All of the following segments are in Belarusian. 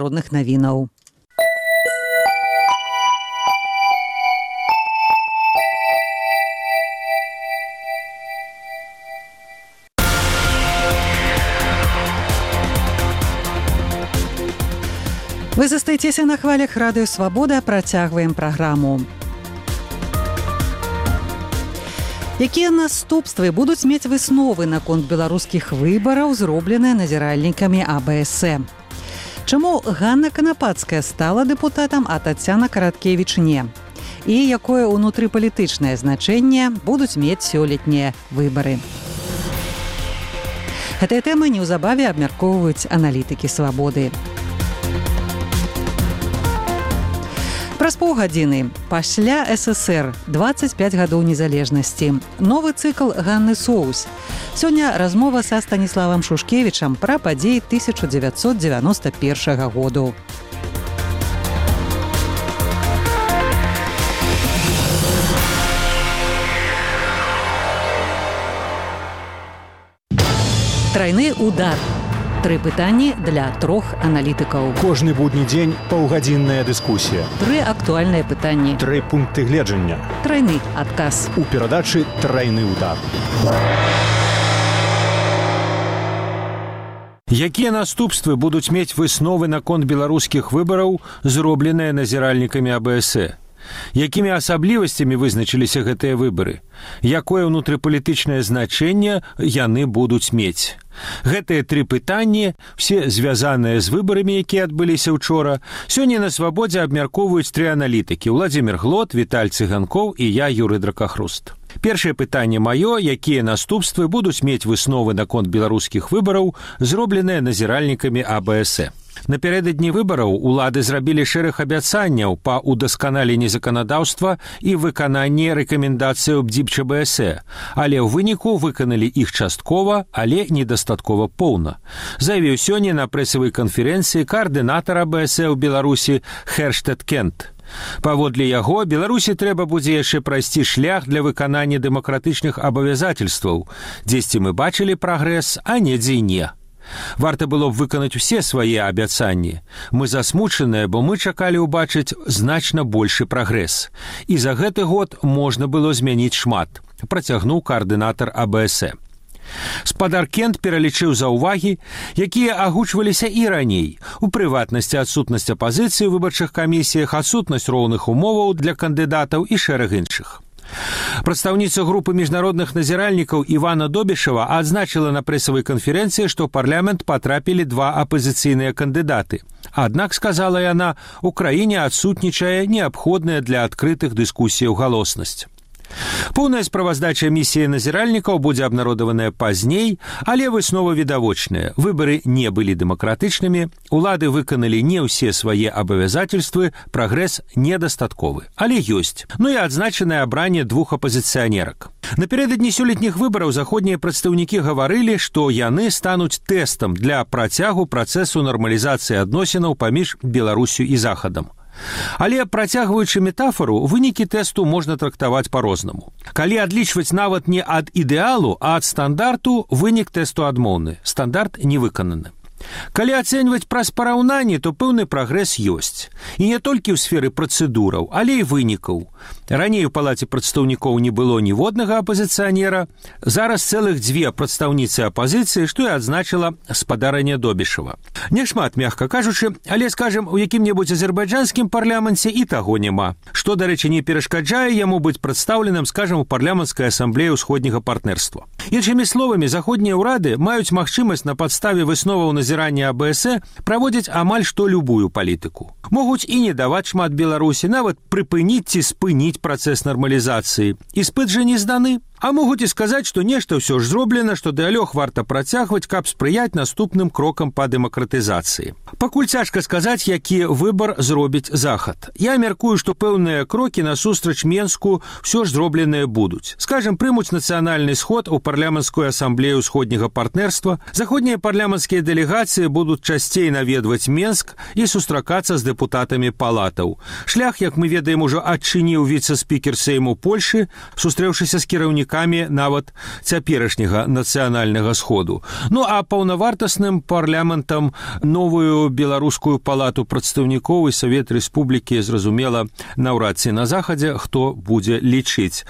родных навінаў. Вы застаецеся на хвалях радыё Свабода, працягваем праграму. Якія наступствы будуць мець высновы наконт беларускіх выбараў, зробленыя назіральнікамі АБС? Чаму Ганна Канапацкая стала дэпутатам, а Тацяна Караткевіч не? І якое ўнутрыпалітычнае значэнне будуць мець сёлетнія выбары? Гэтыя тэмы неўзабаве абмяркоўваюць аналітыкі Свабоды. Праз паўгадзіны. Пасля ССР. 25 гадоў незалежнасці. Новы цыкл Ганны Соус. Сёння размова са Станіславам Шушкевічам пра падзеі 1991 году. Трайны удар. 3 пытанні для 3 аналітыкаў. Кожны будні дзень паўгадзінная дыскусія. 3 актуальныя пытанні. 3 пункты гледжання. Трайны адказ. У перадачы «Трайны удар». Якія наступствы будуць мець высновы наконт беларускіх выбараў, зробленыя назіральнікамі АБС? Якімі асаблівасцямі вызначыліся гэтыя выбары? Якое ўнутрыпалітычнае значэнне яны будуць мець? Гэтыя 3 пытанні, все звязаныя з выбарамі, якія адбыліся учора, сёння на Свабодзе абмяркоўваюць 3 аналітыкі: Владзімір Глот, Віталь Цыганкоў і я, Юрый Дракахруст. Першае пытанне маё: якія наступствы будуць мець высновы наконт беларускіх выбараў, зробленыя назіральнікамі АБС? Напярэдадні выбараў улады зрабілі шэраг абяцанняў па ўдасканаленні заканадаўства і выкананні рэкамендацыяў БДИП-ЧБС, але ў выніку выканалі іх часткова, але недастаткова поўна. Заявіў сёння на прэсавай канферэнцыі каардынатар АБС ў Беларусі Херштед Кент. Паводле яго, Беларусі трэба будзе яшчэ прайсці шлях для выканання дэмакратычных абавязательстваў. Дзесьці мы бачылі прагрэс, а недзе і не. Варта было б выканаць усе свае абяцанні. Мы засмучаныя, бо мы чакалі ўбачыць значна большы прагрэс. І за гэты год можна было змяніць шмат, працягнуў каардынатар АБС. Спадар Кент пералічыў заўвагі, якія агучваліся і раней. У прыватнасці адсутнасць апазіцыі ў выбарчых камісіях, адсутнасць роўных умоваў для кандыдатаў і шэраг іншых. Прадстаўніца групы міжнародных назіральнікаў Івана Добішева адзначыла на прэсавай канферэнцыі, што ў парламент патрапілі 2 апазіцыйныя кандыдаты. Аднак, сказала яна, у краіне адсутнічае неабходная для адкрытых дыскусіяў галоснасць. Поўная справаздача місіі назіральнікаў будзе абнародаваная пазней, але высновы відавочныя. Выбары не былі дэмакратычнымі, улады выканалі не ўсе свае абавязательствы, прагрэс недастатковы, але ёсць. Ну і адзначанае абранне 2 апазіцыянерак. Напярэдадні сёлетніх выбараў заходнія прадстаўнікі гаварылі, што яны стануць тэстам для працягу працэсу нармалізацыі адносінаў паміж Беларусю і Захадам. Але, працягваючы метафору, вынікі тэсту можна трактаваць па-рознаму. Калі адлічваць нават не ад ідэалу, а ад стандарту, вынік тэсту адмоўны. Стандарт не выкананы. Калі ацэньваць праз параўнанне, то пэўны прагрэс ёсць. І не толькі ў сферы працэдураў, але і вынікаў. Раней у палаце прадстаўнікоў не было ніводнага апазіцыянера, зараз цэлых 2 прадстаўніцы апазіцыі, што і адзначыла спадарня Добішева. Няшмат, мякка кажучы, але, скажам, у якім-небудзь азербайджанскім парламенце і таго няма. Што, дарэчы, не перашкаджае яму быць прадстаўленым, скажам, у парламенцкай асамблеі ўсходняга партнерства. Іншымі словамі, заходнія ўрады маюць магчымасць на падставе высноваў назірання АБС праводзіць амаль што любую палітыку. Могуць і не даваць шмат Беларусі, нават прыпыніць ці спыніць працэс нармалізацыі. Іспыт жа не зданы. А могуць і сказаць, што нешта ўсё ж зроблена, што дыялог варта працягваць, каб спрыяць наступным крокам па дэмакратызацыі. Пакуль цяжка сказаць, які выбар зробіць Захад. Я мяркую, што пэўныя крокі насустрач Менску ўсё ж зробленыя будуць. Скажам, прымуць нацыянальны сход у парламенцкую асамблею ўсходняга партнерства, заходнія парламенцкія дэлегацыі будуць часцей наведваць Менск і сустракацца з дэпутатамі палатаў. Шлях, як мы ведаем, ужо адчыніў віцэ-спікер Сейму Польшы, сустрэўшыся з кіраўнікам прадстаўнікамі нават цяперашняга нацыянальнага сходу. Ну а паўнавартасным парламентам новую беларускую палату прадстаўнікоў і Савет Рэспублікі, зразумела, наўрад ці на захадзе хто будзе лічыць.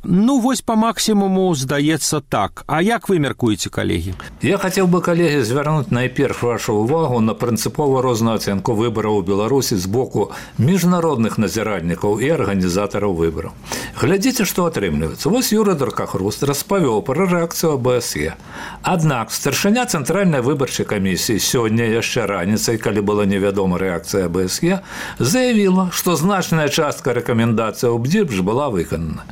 Ну вось по максімуму здаецца так. А як вы мяркуеце, калегі? Я хотел бы, коллеги, звярнуть найперш вашу увагу на прынцыпова розную ацэнку выбараў у Беларусі з боку міжнародных назіральнікаў і арганізатараў выбараў. Глядзіце, што атрымліваецца. Вось Юрый Дракахруст распавёў пра рэакцыю АБСЕ. Аднак старшыня Цэнтральнай выбарчай камісіі сёння яшчэ раніцай, калі была невядома рэакцыя АБСЕ, заявіла, што значная частка рэкамендацый БДИПЖ была выканана.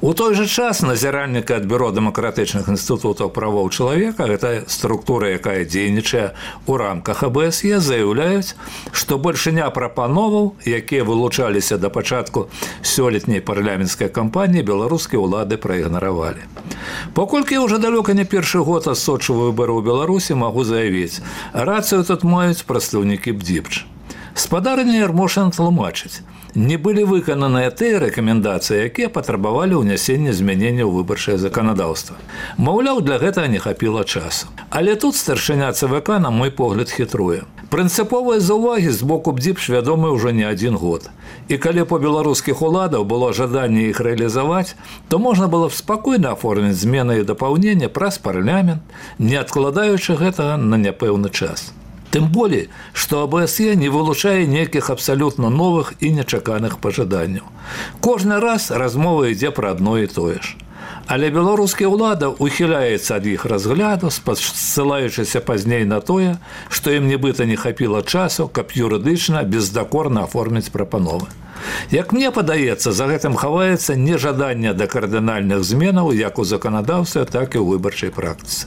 У той жа час назіральнікі ад Бюро дэмакратычных інстытутаў правоў чалавека, гэта структура, якая дзейнічае ў рамках АБСЕ, заяўляюць, што большыня прапановаў, якія вылучаліся да пачатку сёлетняй парламенцкай кампаніі, беларускія ўлады праігнаравалі. Паколькі я ўжо далёка не першы год адсочваю выбары ў Беларусі, магу заявіць, рацыю тут маюць прадстаўнікі БДИПЖ. Спадарня Ярмошин тлумачыць, не былі выкананыя тыя рэкамендацыі, якія патрабавалі ўнясення змянення ў выбарчае заканадаўства. Маўляў, для гэтага не хапіла часу. Але тут старшыня ЦВК, на мой погляд, хітруе. Прынцыповыя заўвагі з боку БДИПЖ вядомы ўжо не адзін год. І калі па беларускіх уладаў было жаданне іх рэалізаваць, то можна было б спакойна аформіць змены і дапаўнення праз парламент, не адкладаючы гэтага на няпэўны час. Тым болей, што АБСЕ не вылучае нейкіх абсалютна новых і нечаканых пажаданняў. Кожны раз размова ідзе пра адно і тое ж. Але беларускія ўлада ухіляецца ад іх разгляду, спасылаючыся пазней на тое, што ім нібыта не хапіла часу, каб юрыдычна бездакорна аформіць прапановы. Як мне падаецца, за гэтым хаваецца нежаданне да кардынальных зменаў як у заканадаўстве, так і ў выбарчай практыцы.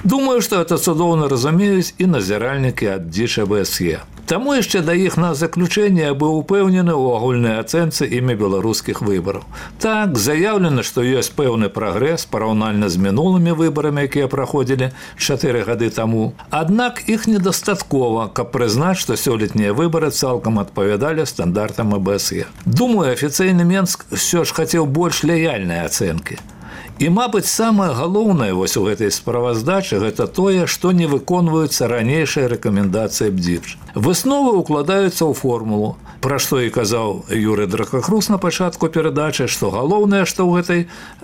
Думаю, што гэта цудоўна разумеюць і назіральнікі ад ДЗІЧ АБСЕ. Таму яшчэ да іх на заключэнне быў упэўнены ў агульнай ацэнцы імі беларускіх выбараў. Так, заяўлена, што ёсць пэўны прагрэс параўнальна з мінулымі выбарамі, якія праходзілі 4 гады таму. Аднак іх недастаткова, каб прызнаць, што сёлетнія выбары цалкам адпавядалі стандартам АБСЕ. Думаю, афіцыйны Менск ўсё ж хацеў больш лаяльнай ацэнкі. І, мабыць, самае галоўнае вось у гэтай справаздачы гэта тое, што не выконваюцца ранейшыя рэкамендацыі БДИПЖ. Высновы ўкладаюцца ў формулу, пра што і казаў Юрый Дракахруст на пачатку перадачы, што галоўнае, што ў гэтай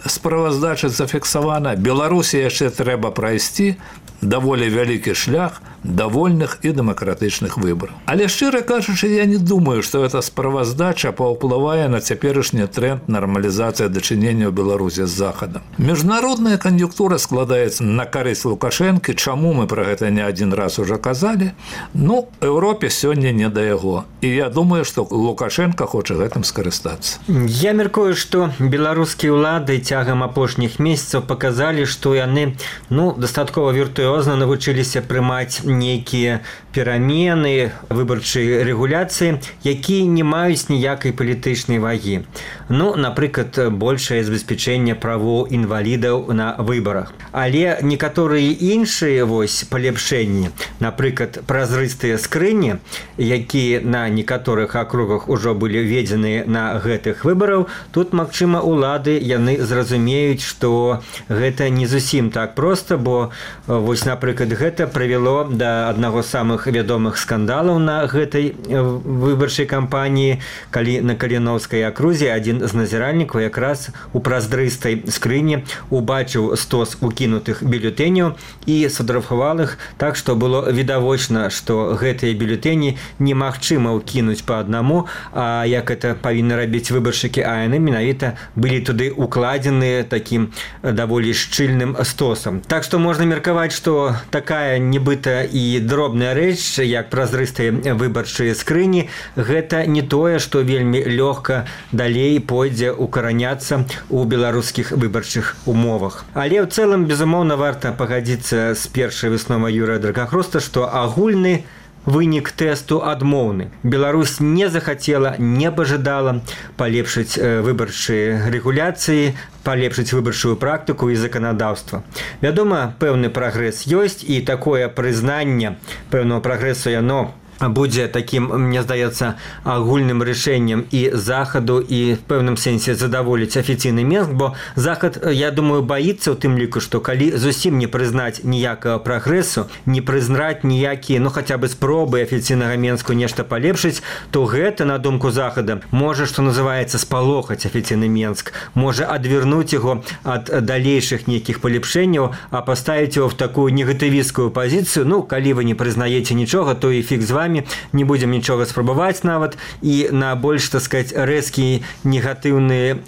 справаздачы зафіксавана, Беларусі яшчэ трэба прайсці даволі вялікі шлях да вольных і дэмакратычных выбараў. Але, шчыра кажучы, я не думаю, што эта справаздача паўплывае на цяперашні тренд нармалізацыі дачынення ў Беларусі з Захадам. Міжнародная кан'юнктура складаецца на карысць Лукашэнкі, чаму мы пра гэта не адзін раз ужо казалі. Ну, Еўропе сёння не да яго. І я думаю, што Лукашенко хоча гэтым скарыстацца. Я мяркую, што беларускія ўлады цягам апошніх месяцаў паказалі, што яны дастаткова віртуозна навучыліся прымаць нейкія перамены выбарчай рэгуляцыі, якія не маюць ніякай палітычнай вагі. Напрыклад, большае забеспячэнне правоў інвалідаў на выбарах. Але некаторыя іншыя палепшэнні, напрыклад, празрыстыя скрыні, якія на некаторых акругах ужо былі введзены на гэтых выбараў, тут, магчыма, улады яны зразумеюць, што гэта не зусім так проста, бо напрыклад, гэта прывяло да аднаго з самых вядомых скандалаў на гэтай выбарчай кампаніі, калі на Каліноўскай акрузе адзін з назіральнікаў якраз у празрыстай скрыні убачыў стос укінутых бюлетэняў і сфотаграфаваў іх так, што было відавочна, што гэтыя бюлетэні немагчыма ўкінуць па аднаму, а як это павінны рабіць выбаршчыкі, а яны менавіта былі туды укладзены такім даволі шчыльным стосам. Так што можна меркаваць, што такая нібыта і дробная рэч, як празрыстыя выбарчыя скрыні, гэта не тое, што вельмі лёгка далей пойдзе укараняцца ў беларускіх выбарчых умовах. Але ў цэлым, безумоўна, варта пагадзіцца з першай высновай Юрыя Дракахруста, што агульны вынік тэсту адмоўны. Беларусь не захацела, не пажадала палепшыць выбарчыя рэгуляцыі, палепшыць выбарчую практыку і заканадаўства. Вядома, пэўны прагрэс ёсць, і такое прызнанне пэўнага прагрэсу яно будзе такім, мне здаецца, агульным рашэннем і захаду, і в пэўным сэнсе задаволіць афіцыйны Мінск, бо захад, я думаю, баіцца ў тым ліку, што калі зусім не прызнаць ніякага прагрэсу, не прызнаць ніякія, хаця бы спробы афіцыйнага Мінску нешта палепшыць, то гэта, на думку захада, можа, што называецца, спалохаць афіцыйны Мінск, можа адвярнуць яго ад далейшых нейкіх палепшэнняў, а паставіць яго в такую негатывісцкую пазіцыю. Калі вы не прызнаеце нічога, то і фіг з вами, не будзем нічога спрабаваць нават, і на больш, так сказать, рэзкі негатыўны,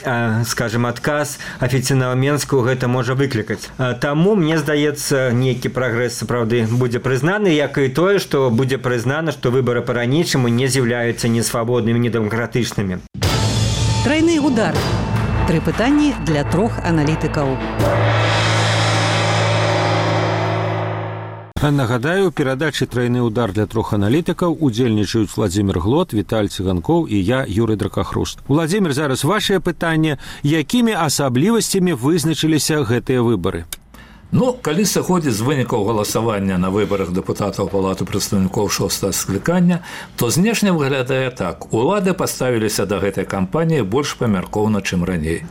скажем, адказ афіцыйнага Мінску гэта можа выклікаць. Таму, мне здаецца, нейкі прагрэс сапраўды будзе прызнаны, як і тое, што будзе прызнана, што выбары па-ранейшаму не з'яўляюцца ні свабоднымі, ні дэмакратычнымі. Трайны удар. 3 пытанні для 3 аналітыкаў. Нагадаю, у перадачы «Трайны удар» для 3 аналітыкаў удзельнічаюць Владзімір Глот, Віталь Цыганкоў і я, Юрый Дракахруст. Владзімір, зараз вашае пытанне. Якімі асаблівасцямі вызначыліся гэтыя выбары? Калі сыходзіць з вынікаў галасавання на выбарах дэпутатаў Палаты прадстаўнікоў 6-го склікання, то знешне выглядае так. Улады паставіліся да гэтай кампаніі больш памяркоўна, чым раней.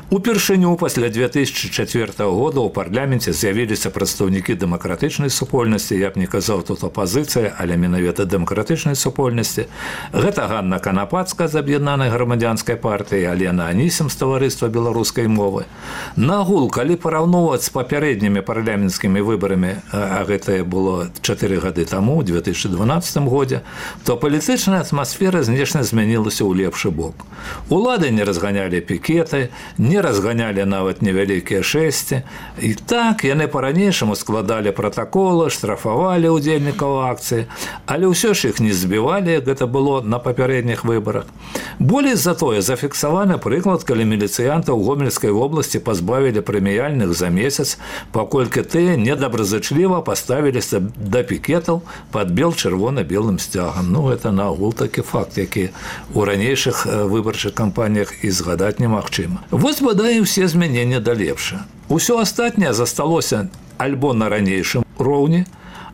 Упершыню пасля 2004 года ў парламенце з'явіліся прадстаўнікі дэмакратычнай супольнасці, я б не казаў тут апазіцыя, але менавіта дэмакратычнай супольнасці. Гэта Ганна Канапацкая з аб'яднанай грамадзянскай партыі, Алена Анісім з таварыства беларускай мовы. Нагул, калі параўноўваць з папярэднімі парламенцкімі выбарамі, а гэта было 4 гады таму, у 2012 годзе, то палітычная атмасфера знешне змянілася ў лепшы бок. Улады не разганялі пікеты, не разганялі нават невялікія шэсці. І так, яны па-ранейшаму складалі пратаколы, штрафавалі ўдзельнікаў акцыі, але ўсё ж іх не збівалі, як гэта было на папярэдніх выбарах. Болей за тое, зафіксаваны прыклад, калі міліцыянтаў у Гомельскай вобласці пазбавілі прэміяльных за месяц, паколькі тыя недобразычліва паставіліся да пікетаў пад бел-чырвона-белым сцягам. Гэта нагул такі факт, які ў ранейшых выбарчых кампаніях і згадаць немагчыма. Вось бадай усе змяненні да лепша. Усё астатняе засталося альбо на ранейшым роўні,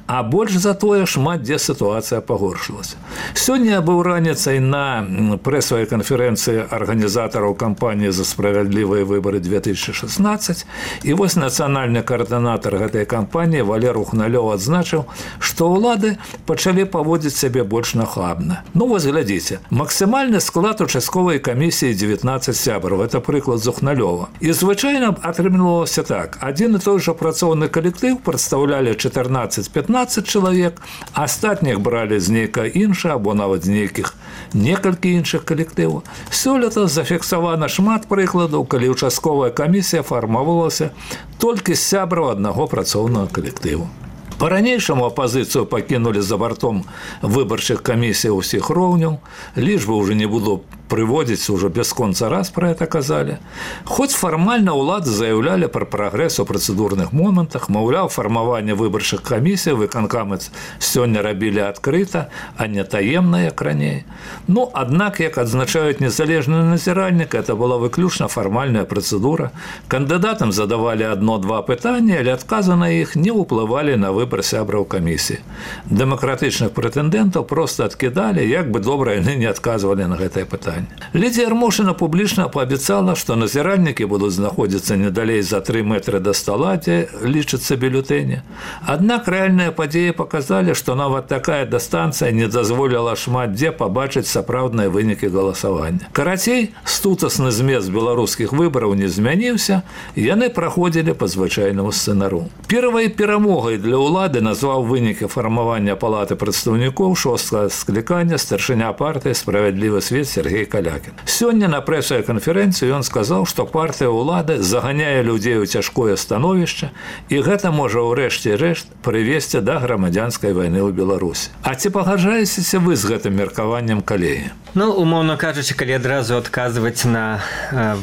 а больш за тое шмат дзе сітуацыя пагоршылася. Сёння быў раніцай на прэсавай канферэнцыі арганізатараў кампаніі «За справядлівыя выбары 2016», і вось нацыянальны каардынатар гэтай кампаніі Валер Ухналёў адзначыў, што ўлады пачалі паводзіць сябе больш нахабна. Вось глядзіце, максімальны склад участковай камісіі 19 сябраў, это прыклад з Ухналёва. І звычайна атрымлівалася так, адзін і той жа працоўны калектыў прадстаўлялі 14-15 чалавек, астатніх бралі з нейкага іншага, або нават з нейкіх некалькі іншых калектываў. Сёлета зафіксавана шмат прыкладаў, калі участковая камісія фармавалася толькі з сябраў аднаго працоўнага калектыву. Па-ранейшаму апазіцыю пакінулі за бартом выбарчых камісій усіх роўняў, лічбы ўжо не буду прыводзіць, уже бясконца раз пра гэта казалі. Хоць фармальна ўлады заяўлялі пра прагрэс у працэдурных момантах, маўляў, фармаванне выбарчых камісій выканкамы сёння рабілі адкрыта, а не таемна, як раней. Аднак, як адзначаюць незалежны назіральнік, это была выключна фармальная працэдура. Кандыдатам задавалі 1-2 пытанні, але адказы на іх не ўплывалі на выбар сябраў камісіі. Дэмакратычных прэтэндэнтаў проста адкідалі, як бы добра яны не адказвалі на гэтае пытанне. Лідія Ярмошына публічна паабяцала, што назіральнікі будуць знаходзіцца не далей за 3 метры да стала, дзе лічыцца бюлетэні. Аднак рэальныя падзеі паказалі, што нават такая дыстанцыя не дазволіла шмат дзе пабачыць сапраўдныя вынікі галасавання. Карацей, стутасны змест беларускіх выбараў не змяніўся, яны праходзілі па звычайнаму сцэнару. Першай перамогай для ўлады назваў вынікі фармавання Палаты прадстаўнікоў 6-го склікання старшыня партыі «Справядлівы свет» Сергей Калякін. Сёння на прэсавай канферэнцыі ён сказаў, што партыя ўлады заганяе людзей у цяжкое становішча, і гэта можа ў рэшце рэшт прывесці да грамадзянскай вайны ў Беларусі. А ці пагаджаецеся вы з гэтым меркаваннем, калегі? Умоўна кажучы, калі адразу адказваць на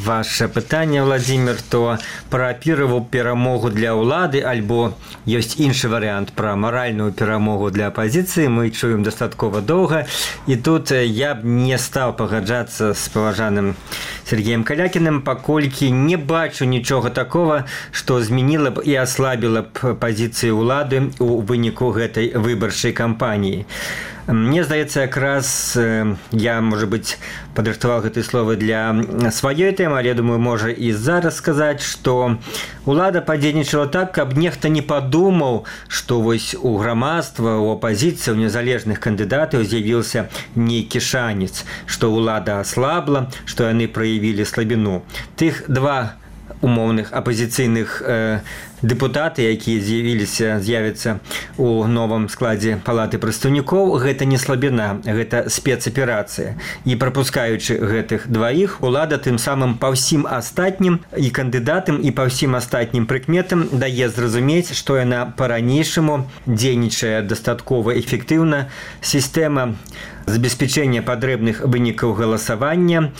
ваше пытанне, Владзімір, то пра піраву перамогу для ўлады альбо ёсць іншы варыянт пра маральную перамогу для апазіцыі мы чуем дастаткова доўга, і тут я б не стаў пагаджацца з паважаным Сергеем Калякіным, паколькі не бачу нічога такога, што змяніла б і аслабіла б пазіцыі ўлады ў выніку гэтай выбарчай кампаніі. Мне здаецца, якраз я, можа быць, падрыхтаваў гэтыя словы для сваёй тэмы, але, думаю, можа і зараз сказаць, што улада падзейнічала так, каб нехта не падумаў, што вось у грамадства, у апазіцыі, у незалежных кандыдатаў з'явіўся нейкі шанец, што улада аслабла, што яны праявілі слабіну. Тых два умоўных апазіцыйных дэпутаты, якія з'явяцца у новым складзе палаты прадстаўнікоў, гэта не слабіна, гэта спецаперацыя. І прапускаючы гэтых дваіх, улада тым самым па ўсім астатнім і кандыдатам, і па ўсім астатнім прыкметам дае зразумець, што яна па-ранейшаму дзейнічае дастаткова эфектыўна. Сістэма забеспячэння патрэбных вынікаў галасавання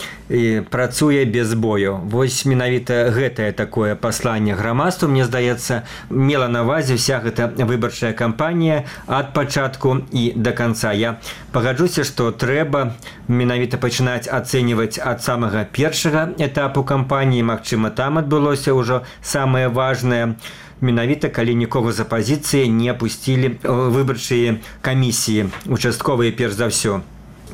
працуе без бою. Вось менавіта гэтае такое пасланне грамадству, мне здаецца, мела на ўвазе вся гэта выбарчая кампанія ад пачатку і да канца. Я пагаджуся, што трэба менавіта пачынаць ацэньваць ад самага першага этапу кампаніі. Магчыма, там адбылося ўжо самае важнае, менавіта калі нікога з апазіцыі не апусцілі выбарчыя камісіі, участковыя перш за ўсё.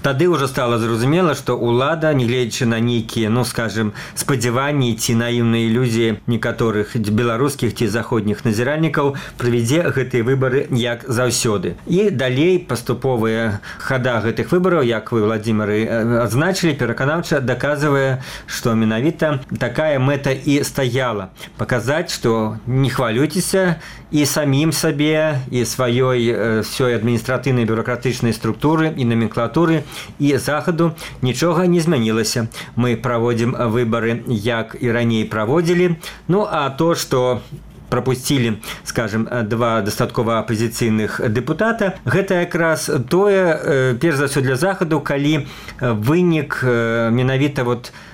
Тады ўжо стала зразумела, што ўлада, нягледзячы на нейкія, скажем, спадзяванні ці наіўныя ілюзіі некаторых беларускіх ці заходніх назіральнікаў, правядзе гэтыя выбары як заўсёды. І далей паступовая хада гэтых выбараў, як вы, Владзімары, адзначылі, пераканаўча даказвае, што менавіта такая мэта і стаяла. Паказаць, што не хвалюйцеся, і самім сабе, і сваёй всёй адміністратыўнай бюракратычнай структуры і номенклатуры, і захаду нічога не змянілася. Мы праводзім выбары, як і раней праводзілі. А то, што прапусцілі, скажем, два дастаткова апазіцыйных дэпутата, гэта якраз тое, перш за ўсё для захаду, калі вынік менавіта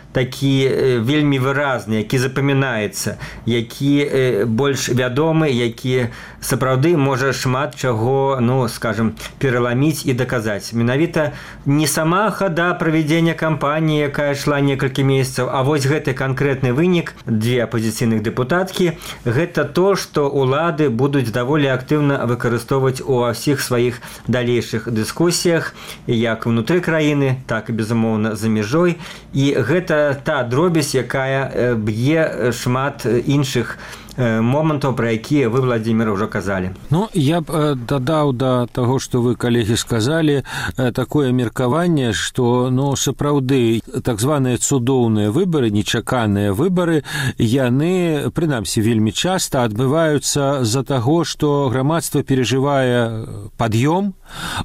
такі вельмі выразны, які запамінаецца, які больш вядомы, які сапраўды можа шмат чаго, скажем, пераламіць і даказаць. Менавіта не сама хада правядзення кампаніі, якая ішла некалькі месяцаў, а вось гэты канкрэтны вынік, две апазіцыйных дэпутаткі, гэта то, што улады будуць даволі актыўна выкарыстоўваць у ўсіх сваіх далейшых дыскусіях, як унутры краіны, так і, безумоўна, за мяжой. І гэта та дробязь, якая б'е шмат іншых момантаў, пра якія вы, Владзімир, ўжо казалі. Я б дадаў да таго, што вы, калегі, сказалі, такое меркаванне, што, сапраўды, так званыя цудоўныя выбары, нечаканыя выбары, яны, прынамсі, вельмі часта адбываюцца з-за таго, што грамадства перажывае пад'ём,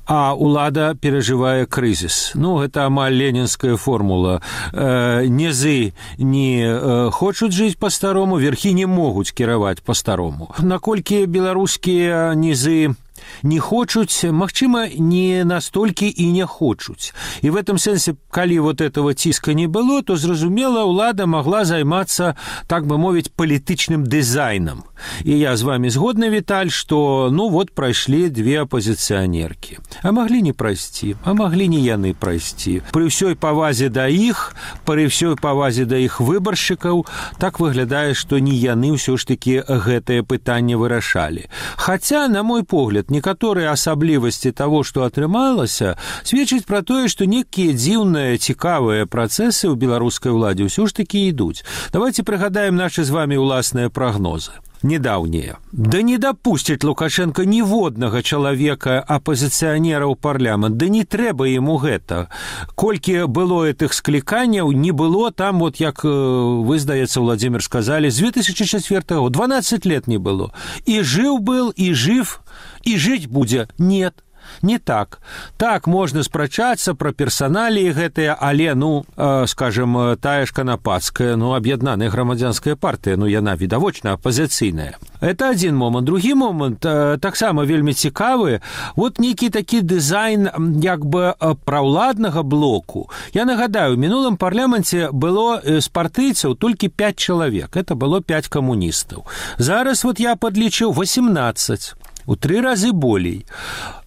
а ўлада перажывае крызіс. Гэта амаль ленінская формула. Нізы не хочуць жыць па-старому, верхі не могуць кіраваць па-старому. Наколькі беларускія нізы не хочуць, магчыма, не настолькі і не хочуць. І в этом сэнсе, калі этого ціска не было, то, зразумела, ўлада магла займацца, так бы мовіць, палітычным дызайнам. І я з вами згодны, Віталь, што, прайшлі две апозіцыянеркі. А маглі не прайсці, а маглі не яны прайсці. Пры ўсёй павазе да іх, пры ўсёй павазе да іх выбаршчыкаў, так выглядае, што не яны ўсё ж такі гэтае пытанне вырашалі. Хаця, на мой погляд, некаторыя асаблівасці таго, што атрымалася, сведчыць пра тое, што некія дзіўныя, цікавыя працэсы ў беларускай уладзе ўсё ж такі ідуць. Давайте прыгадаем нашы з вами ўласныя прагнозы. Недаўнія. Да не дапусціць Лукашенко ніводнага чалавека апозіцыянера ў парламент. Да не трэба яму гэта. Колькі было гэтых скліканняў, не было там, як вы, здаецца, Владзімир, сказалі, з 2004 года 12 лет не было. І жыў был, і жыв, і жыць будзе. Нет. Не так. Так, можна спрачацца пра персаналіі гэтыя, але, скажем, тая ж Канапацкая, аб'яднаная грамадзянская партыя, яна відавочна апазіцыйная. Это адзін момант. Другі момант, таксама вельмі цікавы, нейкі такі дызайн, як бы, праўладнага блоку. Я нагадаю, у мінулым парламенце было з партыйцаў толькі 5 чалавек. Это было 5 камуністаў. Зараз, я падлічыў 18. У 3 разы болей.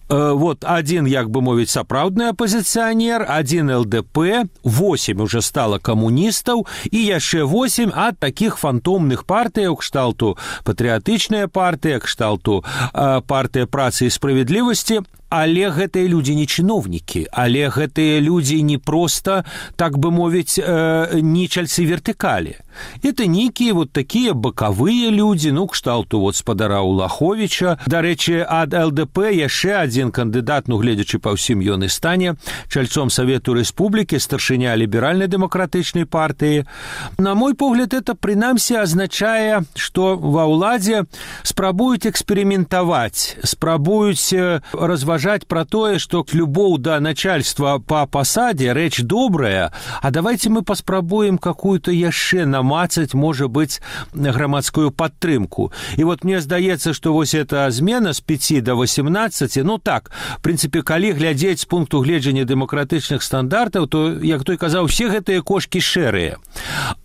Один, як бы мовіць, сапраўдны апозіцыянер, один ЛДП, 8 уже стала камуністаў і яшчэ 8 ад такіх фантомных партыяў, кшталту патрыятычная партыя, кшталту партыя працы і справядлівасці. Але гэтыя людзі не чыноўнікі, але гэтыя людзі не проста, так бы мовіць, нічальцы вертыкалі. Это нейкія вот такія бакавыя людзі, ну, кшталту вот спадара Улаховіча. Дарэчы, ад ЛДП яшчэ адзін кандыдат, ну, гледзячы па ўсім ён і стане чальцом Савету Рэспублікі, старшыня ліберальна-дэмакратычнай партыі. На мой погляд, это прынамсі азначае, што ва ўладзе спрабуюць эксперыментаваць, спрабуюць разважаць пра тое, што любоў да начальства па пасадзе рэч добрая, а давайте мы паспрабуем какую-то яшчэ намацаць, можа быць, грамадскую падтрымку. І вот мне здаецца, што вось эта змена з 5 до 18, ну так, в прынцыпе, калі глядзець з пункту гледжання дэмакратычных стандартаў, то, як той казаў, все гэтыя кошкі шэрыя.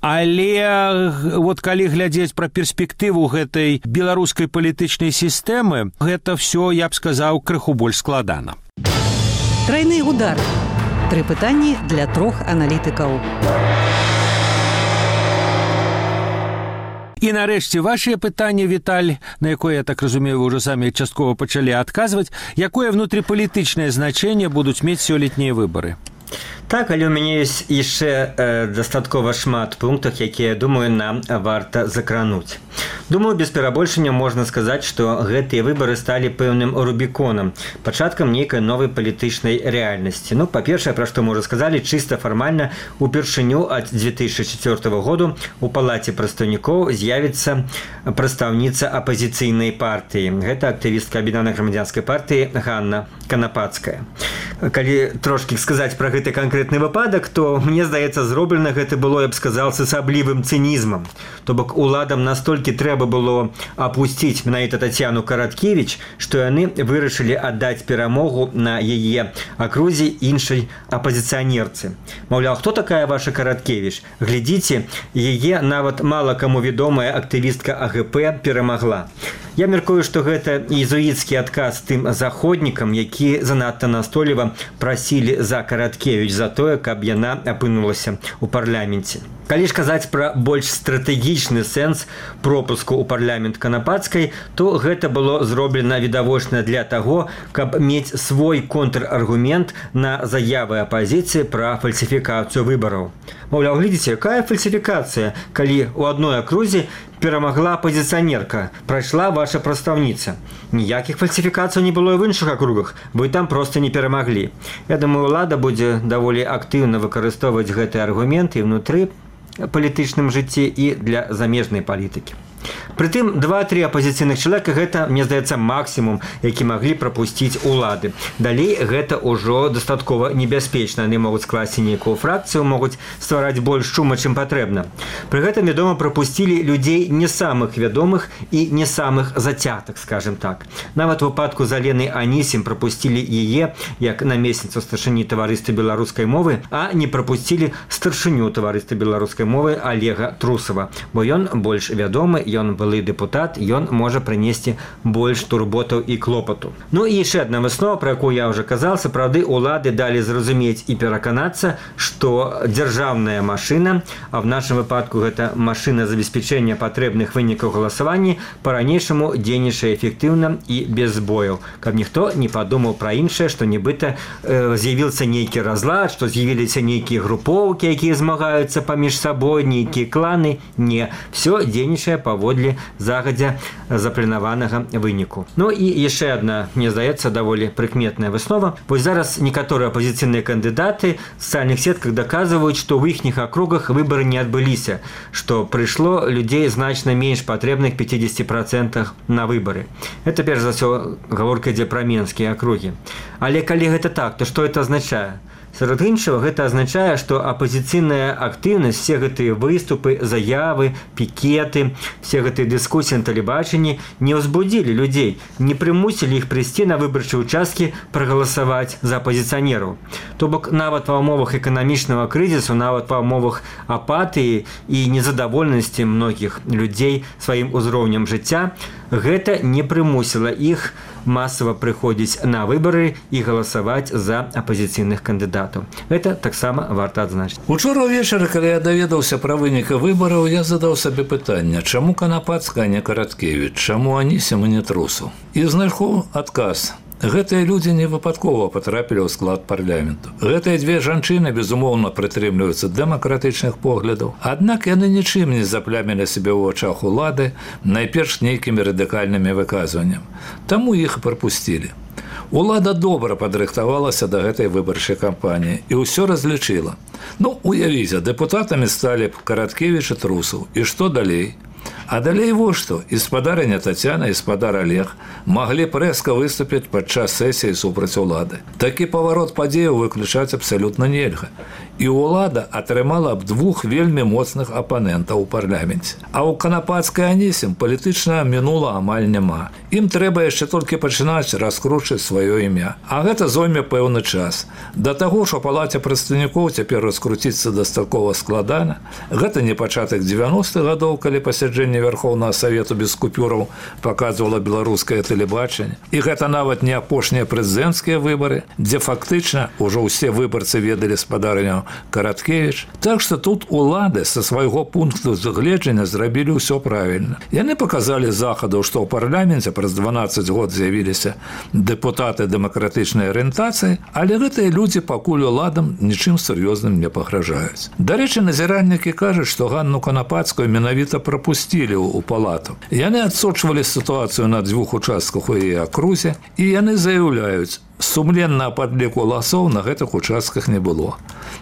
Але вот калі глядзець пра перспектыву гэтай беларускай палітычнай сістэмы, гэта все, я б сказаў, крыху больш складана. Трайны удар. 3 пытанні для 3 аналітыкаў. І нарэшце вашыя пытанні, Віталь, на якое, я так разумею, вы ўжо самі часткова пачалі адказваць, якое внутрыпалітычнае значэнне будуць мець сёлетнія выбары? Так, але у мяне ёсць яшчэ дастаткова шмат пунктаў, якія, думаю, нам варта закрануць. Думаю, без перабольшання можна сказаць, што гэтыя выбары сталі пэўным рубіконам, пачаткам нейкай новай палітычнай рэальнасці. Ну, па-першае, пра што мы ўжо сказалі, чыста фармальна упершыню ад 2004 году у палаце прадстаўнікоў з'явіцца прадстаўніца апазіцыйнай партыі. Гэта актывістка аб'яднанай грамадзянскай партыі Ганна Канапацкая. Калі трошкі сказаць пра гэты канкрэтны выпадак, то, мне здаецца, зроблена гэта было, я б сказал, с асаблівым цынізмам. То бок уладам настолькі трэба было апусціць менавіта Тацяну Караткевіч, што яны вырашылі аддаць перамогу на яе акрузе іншай апазіцыянерцы. Маўляў, хто такая ваша Караткевіч? Глядзіце, яе нават мала каму вядомая актывістка АГП перамагла. Я мяркую, што гэта езуіцкі адказ тым заходнікам, які занадта настойліва прасілі за Караткевіч за тое, каб яна апынулася ў парламенце. Калі ж казаць пра больш стратэгічны сэнс пропуску ў парламент Канапацкай, то гэта было зроблена відавочна для таго, каб мець свой контраргумент на заявы апазіцыі пра фальсіфікацыю выбараў. Маўляў, глядзіце, якая фальсіфікацыя, калі ў адной акрузе перамагла апозіцыянерка, прайшла ваша прадстаўніца. Ніякіх фальсіфікацый не было і в іншых акругах, вы там проста не перамаглі. Я думаю, улада будзе даволі актыўна выкарыстоўваць гэты аргумент і ўнутры палітычным жыцці і для замежнай палітыкі. Прытым 2-3 апазіцыйных чалавека гэта, мне здаецца, максімум, які маглі прапусціць улады. Далей гэта ўжо дастаткова небяспечна. Яны могуць скласці нейкую фракцыю, могуць ствараць больш шума, чым патрэбна. Пры гэтым, вядома, прапусцілі людзей не самых вядомых і не самых зацятых, скажем так. Нават у выпадку з Аленай Анісім прапусцілі яе як намесніцу старшыні таварыства беларускай мовы, а не прапусцілі старшыню таварыства беларускай мовы Олега Трусова, бо ён больш вядомы, ён былы дэпутат, ён можа прынесці больш турботаў і клопату. Ну і яшчэ адна выснова, пра якую я ўжо казаў, сапраўды улады далі зразумець і пераканацца, што дзяржаўная машына, а в нашым выпадку гэта машына забеспячэння патрэбных вынікаў галасавання, па-ранейшаму дзейнічае эфектыўна і без збояў. Каб ніхто не падумаў пра іншае, што нібыта з'явіўся нейкі разлад, што з'явіліся нейкія групоўкі, якія змагаюцца паміж сабой, нейкія кланы. Не, все дзейнічае паводле загадзя запланаванага выніку. Ну і яшчэ адна, мне здаецца, даволі прыкметная выснова. Вось зараз некаторыя апазіцыйныя кандыдаты в сацыяльных сетках даказваюць, што ў іхніх акругах выбары не адбыліся, што прыйшло людзей значна менш патрэбных 50% на выбары. Это перш за ўсё гаворка ідзе пра менскія акругі. Але калі гэта так, то што это азначае? Сярод іншага, гэта азначае, што апазіцыйная актыўнасць, все гэтыя выступы, заявы, пікеты, все гэтыя дыскусіі на тэлебачанні не ўзбудзілі людзей, не прымусілі іх прыйсці на выбарчыя ўчасткі прагаласаваць за апазіцыянераў. То бок нават ва ўмовах эканамічнага крызісу, нават ва ўмовах апатыі і незадаволенасці многіх людзей сваім узроўнем жыцця, гэта не прымусіла іх масава прыходзіць на выбары і галасаваць за апазіцыйных кандыдатаў. Гэта таксама варта адзначыць. Учора ўвечары, калі я даведаўся пра вынікі выбараў, я задаў сабе пытанне, чаму Канапацкая, а не Караткевіч, чаму Анісім, а не Трусаў? І знайшоў адказ. гэтыя людзі не выпадкова патрапілі ў склад парламенту. Гэтыя дзве жанчыны, безумоўна, прытрымліваюцца дэмакратычных поглядаў, аднак яны нічым не заплямілі сябе ў вачах улады, найперш нейкімі радыкальнымі выказваннямі. Таму іх і прапусцілі. Улада добра падрыхтавалася да гэтай выбарчай кампаніі і ўсё разлічыла. Уявіце, дэпутатамі сталі Караткевіч і Трусаў. І што далей? А далей вось што, і спадарыня Тацяна, і спадар Олег маглі рэзка выступіць падчас сесіі супраць улады. Такі паварот падзеяў выключаць абсалютна нельга. І ўлада атрымала б двух вельмі моцных апанентаў у парламенце. А ў Канапацкай Анісім палітычна мінула амаль няма. Ім трэба яшчэ толькі пачынаць раскручваць сваё імя. А гэта зойме пэўны час. Да таго ж у палаце прадстаўнікоў цяпер раскруціцца дастаткова складана. Гэта не пачатак 90-х гадоў, калі пасяджэнне Верховнага Савету без купюраў паказвала беларускае тэлебачанне. І гэта нават не апошнія прэзідэнцкія выбары, дзе фактычна ўжо ўсе выбарцы ведалі спадарню Караткевіч. Так што тут улады са свайго пункту загледжання зрабілі ўсё правільна. Яны паказалі захаду, што ў парламенце праз 12 год з'явіліся дэпутаты дэмакратычнай арыентацыі, але гэтыя людзі пакуль уладам нічым сур'ёзным не пагражаюць. Дарэчы, назіральнікі кажуць, што Ганну Канапацкую менавіта прапусцілі ў палату. Яны адсочвалі сітуацыю на дзвюх участках у яе акрузе, і яны заяўляюць, сумленнага падліку галасоў на гэтых участках не было.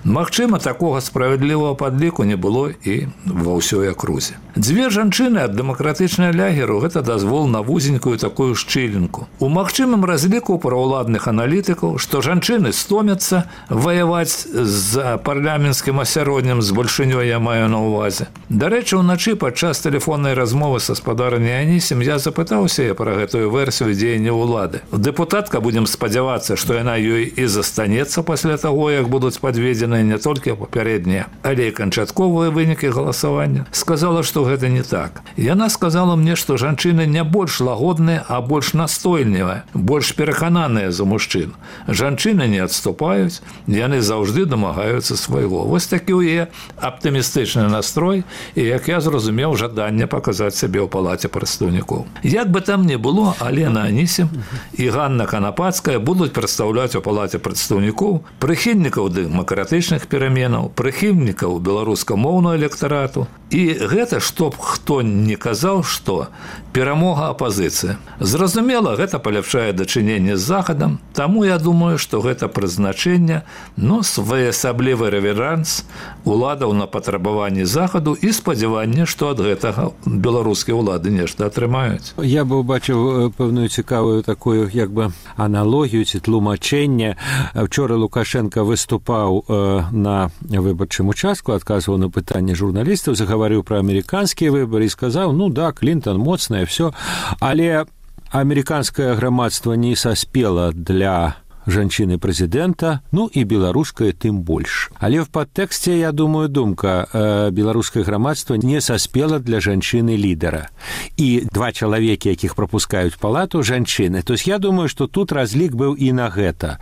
Магчыма, такога справядлівага падліку не было і ва ўсёй акрузе. Дзве жанчыны ад дэмакратычнай лягеру гэта дазвол на вузенькую такую шчылінку. У магчымым разліку праўладных аналітыкаў, што жанчыны стомяцца ваяваць з парламенцкім асяроддзем з большынёй, я маю на ўвазе. Дарэчы, уначы падчас тэлефоннай размовы са спадарняй Анісім я запытаўся я пра гэтую версію дзеяння ўлады. Дэпутатка, будзем спадзявацца, што яна ёй і застанецца пасля таго, як будуць падведзены не толькі папярэднія, але і канчатковыя вынікі галасавання, сказала, што гэта не так. Яна сказала мне, што жанчыны не больш лагодныя, а больш настойлівыя, больш перакананыя за мужчын. Жанчыны не адступаюць, яны заўжды дамагаюцца свайго. Вось такі ў яе аптымістычны настрой і, як я зразумеў, жаданне паказаць сябе ў палаце прадстаўнікоў. Як бы там не было, Алена Анісім і Ганна Канапацкая будуць прадстаўляць у палаце прадстаўнікоў прыхільнікаў дэмакратычных пераменаў, прыхільнікаў беларускамоўнага электарату. І гэта, што б хто не казаў, што перамога апазіцыі. Зразумела, гэта паляпшае дачыненне з захадам, таму я думаю, што гэта прызначэнне, своеасаблівы рэверанс уладаў на патрабаванні захаду і спадзяванне, што ад гэтага беларускія ўлады нешта атрымаюць. Я бы убачыў пэўную цікавую такую як бы аналогію ці тлумачэнне. Вчора Лукашенко выступаў на выбарчым участку, адказваў на пытанне журналістаў, загаварыў пра амерыканскія выбары і сказаў, да, Клінтон моцная, все, але амерыканскае грамадства не саспела для жанчыны прэзідэнта, і беларускае тым больш. Але в падтэксце, я думаю, думка, беларускае грамадства не саспела для жанчыны-лідара. І два чалавекі, якіх прапускаюць палату, жанчыны. То есть я думаю, што тут разлік быў і на гэта.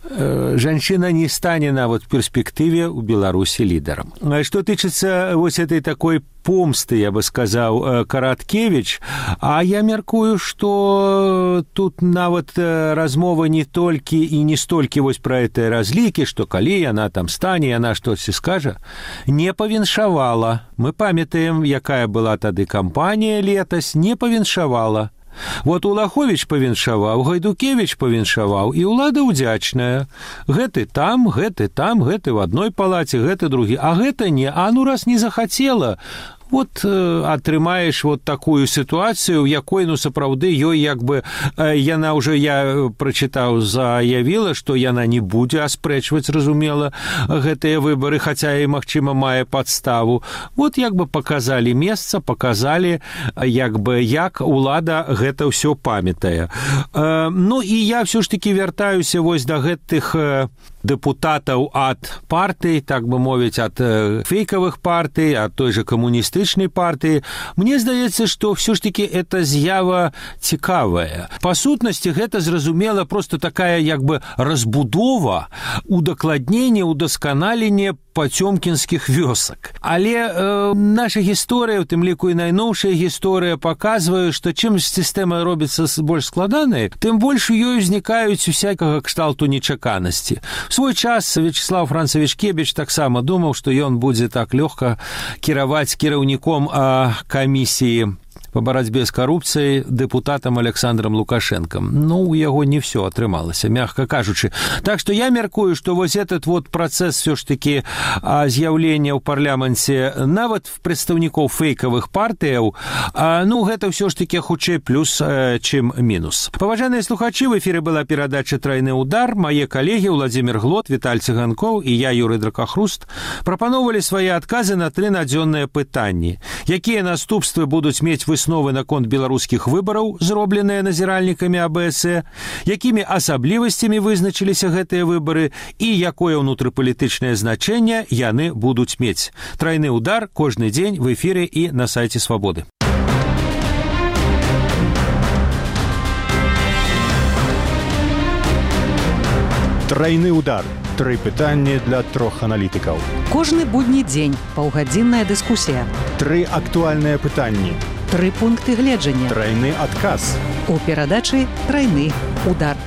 Жанчына не стане нават в перспектыве ў Беларусі лідарам. Што тычыцца вось этой такой помсты, я бы сказаў, Караткевіч, а я мяркую, што тут нават размова не толькі і не столькі вось пра гэтыя разлікі, што калі яна там стане, яна штосьці скажа, не павіншавала. Мы памятаем, якая была тады кампанія летась, не павіншавала. Вот Улаховіч павіншаваў, Гайдукевіч павіншаваў, і ўлада ўдзячная. Гэты там, гэты в адной палаце, гэты другі, а гэта не, раз не захацела. Вот атрымаеш вот такую сітуацыю, у якой, сапраўды, ёй як бы, яна ўжо, я прачытаў, заявіла, што яна не будзе аспрэчваць, разумела, гэтыя выбары, хаця і, магчыма, мае падставу. Вот як бы паказалі месца, паказалі, як бы, як улада гэта ўсё памятае. І я ўсё ж такі вяртаюся вось да гэтых дэпутатаў ад партый, так бы мовіць, ад фейкавых партый, ад той же камуністычнай партыі. Мне здаецца, што ўсё ж такі эта з'ява цікавая. Па сутнасці гэта, зразумела, просто такая як бы разбудова, удакладненне, удасканаленне пацёмкінскіх вёсак. Але наша гісторыя, у тым ліку і найноўшая гісторыя, паказвае, што чым сістэма робіцца больш складанай, тым больш у ёй узнікаюць усякага кшталту нечаканасці. В свой час Вячеслав Францевич Кебіч таксама думаў, што ён будзе так лёгка кіраваць кіраўніком камісіі по барацьбе з карупцыяй дэпутатам Александром Лукашенком. Ну, у яго не все атрымалася, мягка кажучы. Так што я мяркую, што вось этот вот працэс все ж таки з'яўлення ў парламенце нават прадстаўнікоў фейкавых партыяў, ну, гэта все ж таки хутчэй плюс, чым мінус. Паважаныя слухачы, в эфіры была перадача «Трайны удар». Мае калегі Владзімир Глот, Віталь Цыганкоў і я, Юрый Дракахруст, прапановвалі свае адказы на 3 надзённыя пытанні. Якія наступствы будуць мець высновы наконт беларускіх выбараў, зробленыя назіральнікамі АБС, якімі асаблівасцямі вызначыліся гэтыя выбары і якое ўнутрыпалітычнае значэнне яны будуць мець. «Трайны удар» кожны дзень в эфіры і на сайце Свабоды. Трайны удар. 3 пытанні для 3 аналітыкаў. Кожны будні дзень паўгадзінная дыскусія. 3 актуальныя пытанні. 3 пункты гледжання. Трайны адказ. У перадачы «Трайны удар».